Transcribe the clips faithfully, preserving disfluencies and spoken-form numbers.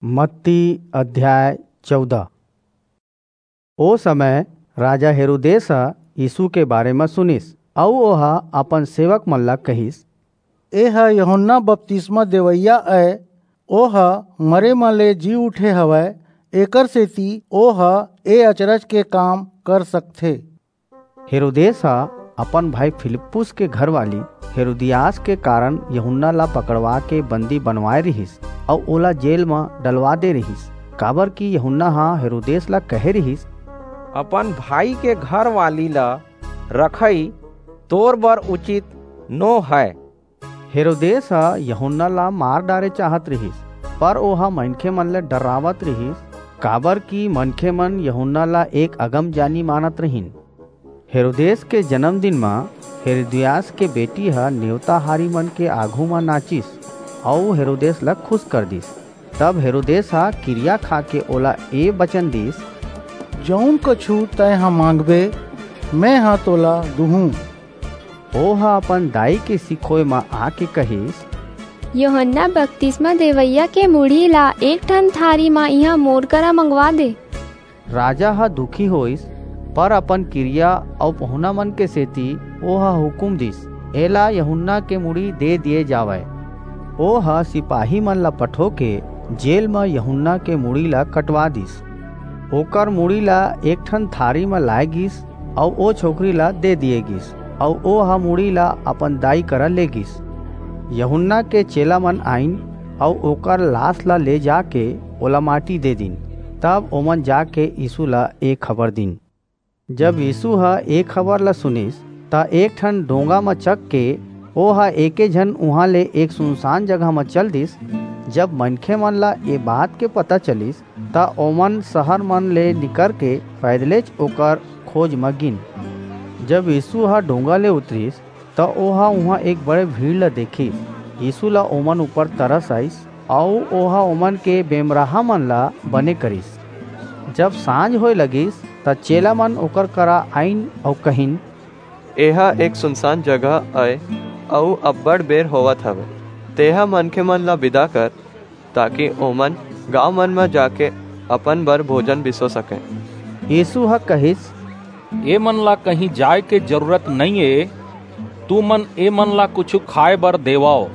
मत्ती अध्याय चौदह। ओ समय राजा हेरोदेस ह यीसू के बारे म सुनिस, अऊ ओह अपन सेवक मन ला कहिस, "एह यूहन्ना बपतिस्मा देवइया अय, ओह मरे म ले जी उठे हवय, एकरसेति ओह ए अचरज के काम कर सकथे।" हेरोदेस ह अपन भाई फिलिप्पुस के घरवाली हेरोदियास के कारन यूहन्ना ला पकड़वा के बंदी बनवाय रिहिस, अऊ ओला जेल म डलवा दे रिहिस, काबरकि यूहन्ना ह हेरोदेस ला कहे रिहिस, "अपन भाई के घरवाली ला रखई तोर बर उचित नो हय।" हेरोदेस ह यूहन्ना ला मार डारे चाहत रिहिस, पर ओह मनखेमन ले डर्रावत रिहिस, काबरकि मनखेमन यूहन्ना ला एक अगमजानी मानत रिहिन। हेरोदेस के जनमदिन म हेरोदियास के बेटी ह नेवताहारीमन के आघू म नाचिस, अऊ हेरोदेस ला खुस कर दीस। तब हेरोदेस ह किरिया खाके ओला ए बचन दीस, "जऊन कछू तंय ह मांगबे, मेंह तोला दूहूं।" ओह अपन दाई के सिखोय म आके कहिस, "यूहन्ना बपतिस्मा देवइया के मुड़ी ला एक ठन थारी म इहां मोर करा मंगवा दे।" राजा ह दुखी होईस, पर अपन किरिया अऊ पहुनामन के सेति ओह हुकूम दीस, "एला यूहन्ना के मुड़ी दे दिये जावय।" ओह सिपाहीमन ला पठोके जेल म यूहन्ना के मुड़ी ला कटवा दीस। ओकर मुड़ी ला एक ठन थारी म लाय गीस, अऊ ओ छोकरी ला दे दिये गीस, अऊ ओह मुड़ी ला अपन दाई करा ले गीस। यूहन्ना के चेलामन आईन, अऊ ओकर लास ला ले जाके ओला माटी दे दीन। तब ओमन जाके यीसू ला ए खबर दीन। जब यीसू ह ए खबर ला सुनिस, त एक ठन डोंगा म चघ के ओह एके झन उहां ले एक सुनसान जगह म चल दीस। जब मनखेमन ला ए बात के पता चलिस, त ओमन सहरमन ले निकरके पैदलेच ओकर खोज म गीन। जब यीसू ह डोंगा ले उतरिस, त ओह उहां एक बड़े भीड़ ला देखिस। यीसू ला ओमन ऊपर तरस आईस, अऊ ओह ओमन के बेमराहामन ला बने करिस। जब सांझ होय लगिस, त चेलामन ओकर करा आईन अऊ कहिन, "एह एक सुनसान जगह अय, अऊ अब्बड़ बेर होवत हवय। तेंह मनखेमन ला बिदा कर, ताकि ओमन गांवमन म जाके अपन बर भोजन बिसो सकंय।" यीसू ह कहिस, "एमन ला कहीं जाय के जरूरत नइं ए, तुमन एमन ला कुछू खाय बर देवव।"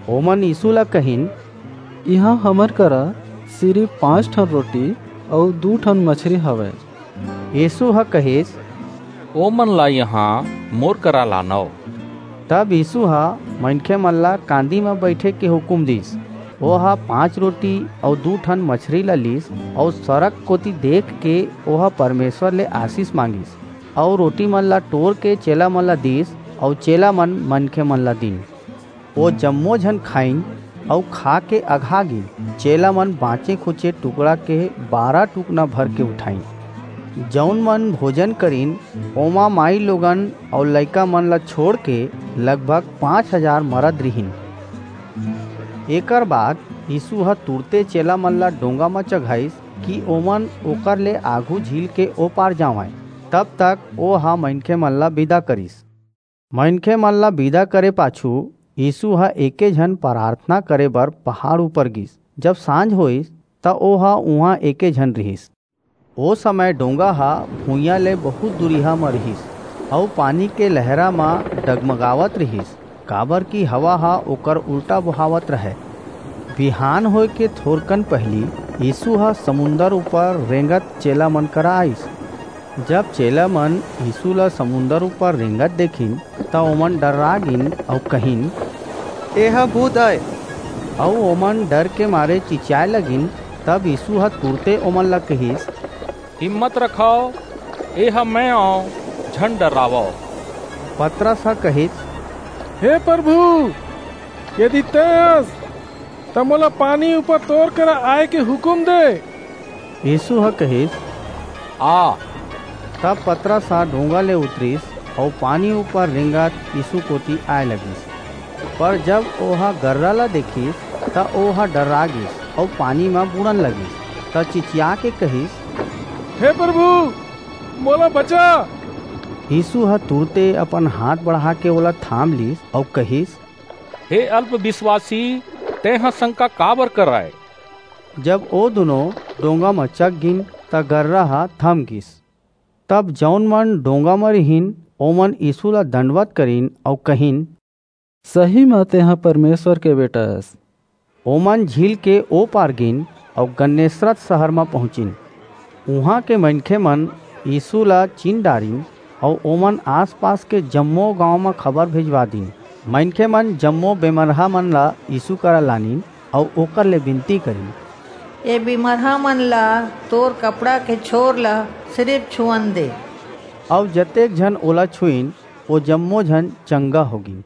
ओमन यीसू ला कहिन, "इहां हमर करा सिरिप पांच ठन रोटी अऊ दू ठन मछरी हवय।" यीसू ह कहिस, "ओमन ला इहां मोर करा लानव।" तब यीसू ह मनखेमन ला कांदी म बईठे के हुकूम दीस। ओह पांच रोटी अऊ दू ठन मछरी ला लीस, अऊ सरग कोति देखके ओह परमेसर ले आसीस मांगिस, अऊ रोटीमन ला टोरके चेलामन ला दीस, अऊ चेलामन मनखेमन ला दीन। ओ जम्मो झन खाईन अऊ खाके अघा गीन। चेलामन बांचे-खुचे टुकड़ा के बारह टुकना भरके उठाईन। जऊन मन भोजन करिन, ओमा माईलोगन अऊ लइकामन ला छोंड़के लगभग पांच हजार मरद रिहिन। एकर बाद यीसू ह तुरते चेलामन ला डोंगा म चघाईस कि ओमन ओकर ले आघू झील के ओ पार जावंय। तब तक ओह मनखेमन ला बिदा करिस। मनखेमन ला बिदा करे पाछू यीसू ह एके झन पराथना करे बर पहाड़ ऊपर गीस। जब सांझ होईस, त ओह उहां एके झन रिहिस। ओ समय डोंगा ह भुइयां ले बहुंत दूरिहा म रिहिस, अऊ पानी के लहरा म डगमगावत रिहिस, काबरकि हवा ह ओकर उल्टा बोहावत रहय। बिहान होय के थोरकन पहिली यीसू ह समुंदर ऊपर रेंगत चेलामन करा आईस। जब चेलामन यीसू ला समुंदर ऊपर रेंगत देखिन, त ओमन डर्रा गीन अऊ कहिन, "एह भूत अय," अऊ ओमन डर के मारे चिचियाय लगिन। तब यीसू ह तुरते ओमन ला कहिस, "हिम्मत रखव, एह मैं अंव, झन डर्रावव।" पतरस ह कहिस, "हे परभू, यदि तैं हस, त मोला पानी ऊपर तोर करा आय के हुकूम दे।" यीसू ह कहिस, "आ।" तब पतरस ह डोंगा ले उतरिस अऊ पानी ऊपर रेंगत यीसू कोति आय लगिस। पर जब ओह गर्रा ला देखिस, त ओह डर्रा गीस अऊ पानी म बूड़न लगिस, त चिचियाके कहिस, "हे परभू, मोला बचा।" यीसू ह तुरते अपन हांथ बढ़ाके ओला थाम लीस अऊ कहिस, "हे अल्प बिसवासी, तैं ह संका काबर करय? जब ओ दुनों डोंगा म चघ गिन, त गर्रा ह थम गिस। तब जऊन मन डोंगा म रिहिन, ओमन यीसू ला दंडवत करिन अऊ कहिन, सही म तेंह परमेसर के बेटा अस। ओमन झील के ओ पार गिन अऊ गन्नेसरत सहर म पहुंचिन। उहां के मनखेमन यीसू ला चिन डारिन अऊ ओमन आस-पास के जम्मो गांव म खबर भेजवा दीन। मनखेमन जम्मो बेमरहामन ला यीसू करा लानिन अऊ ओकर ले बिनती करिन, ए बिमरहामन ला तोर कपड़ा के छोर ला सिरिप छुअन दे। अऊ जतेक झन ओला छुईन, ओ जम्मो झन चंगा हो गीन।